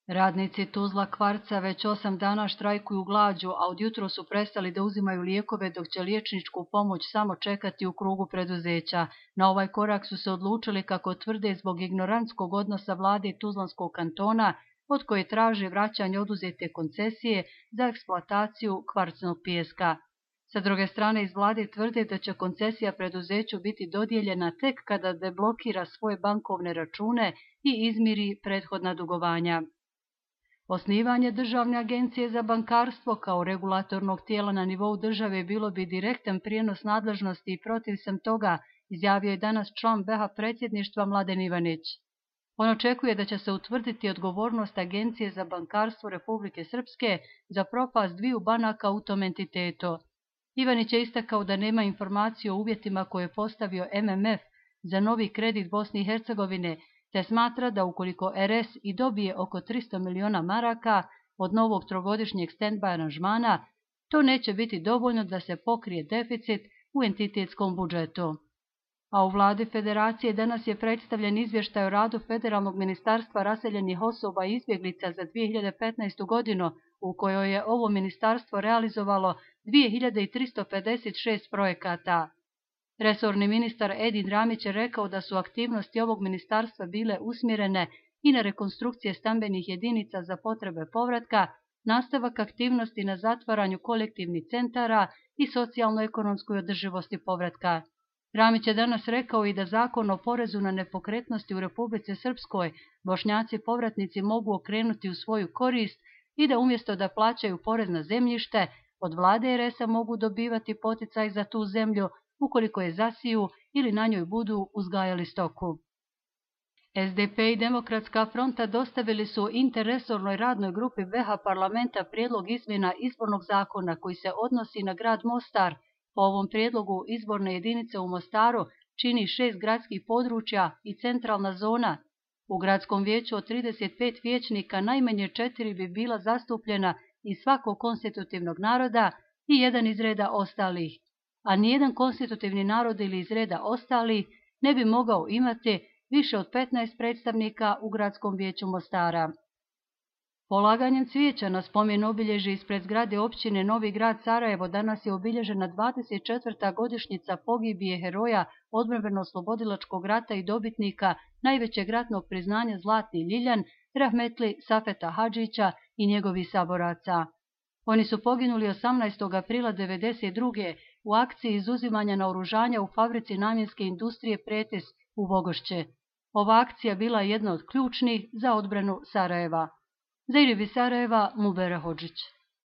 Radnici Tuzla Kvarca već 8 dana štrajkuju glađu, a od jutros su prestali da uzimaju lijekove dok će liječničku pomoć samo čekati u krugu preduzeća. Na ovaj korak su se odlučili, kako tvrde, zbog ignorantskog odnosa vlade Tuzlanskog kantona, od koje traže vraćanje oduzete koncesije za eksploataciju kvarcnog pijeska. Sa druge strane, iz vlade tvrde da će koncesija preduzeću biti dodijeljena tek kada deblokira svoje bankovne račune i izmiri prethodna dugovanja. Osnivanje Državne agencije za bankarstvo kao regulatornog tijela na nivou države bilo bi direktan prijenos nadležnosti i protiv sam toga, izjavio je danas član BH predsjedništva Mladen Ivanić. On očekuje da će se utvrditi odgovornost Agencije za bankarstvo Republike Srpske za propast dviju banaka u tom entitetu. Ivanić je istakao da nema informacije o uvjetima koje je postavio MMF za novi kredit Bosne i Hercegovine, te smatra da ukoliko RS i dobije oko 300 miliona maraka od novog trogodišnjeg stand-by aranžmana, to neće biti dovoljno da se pokrije deficit u entitetskom budžetu. A u vladi Federacije danas je predstavljen izvještaj o radu Federalnog ministarstva raseljenih osoba i izbjeglica za 2015. godinu, u kojoj je ovo ministarstvo realizovalo 2356 projekata. Resorni ministar Edin Ramić je rekao da su aktivnosti ovog ministarstva bile usmjerene i na rekonstrukcije stambenih jedinica za potrebe povratka, nastavak aktivnosti na zatvaranju kolektivnih centara i socijalno-ekonomskoj održivosti povratka. Ramić je danas rekao i da Zakon o porezu na nepokretnosti u Republici Srpskoj Bošnjaci povratnici mogu okrenuti u svoju korist i da umjesto da plaćaju porez na zemljište, od vlade RS-a mogu dobivati poticaj za tu zemlju ukoliko je zasiju ili na njoj budu uzgajali stoku. SDP i Demokratska fronta dostavili su interresornoj radnoj grupi BH parlamenta prijedlog izmjena izbornog zakona koji se odnosi na grad Mostar. Po ovom prijedlogu izborne jedinice u Mostaru čini 6 gradskih područja i centralna zona. U gradskom vijeću od 35 vijećnika najmanje 4 bi bila zastupljena iz svakog konstitutivnog naroda i jedan iz reda ostalih, a nijedan konstitutivni narod ili iz reda ostalih ne bi mogao imati više od 15 predstavnika u gradskom vijeću Mostara. Polaganjem cvijeća na spomen obilježje ispred zgrade općine Novi Grad Sarajevo danas je obilježena 24. godišnjica pogibije heroja odbrambeno-oslobodilačkog rata i dobitnika najvećeg ratnog priznanja Zlatni Ljiljan, rahmetli Safeta Hadžića i njegovih saboraca. Oni su poginuli 18. aprila 1992. u akciji izuzimanja naoružanja u fabrici namjenske industrije Pretes u Vogošće. Ova akcija bila je jedna od ključnih za odbranu Sarajeva. Za Irivi Sarajeva, Mubera Hodžić.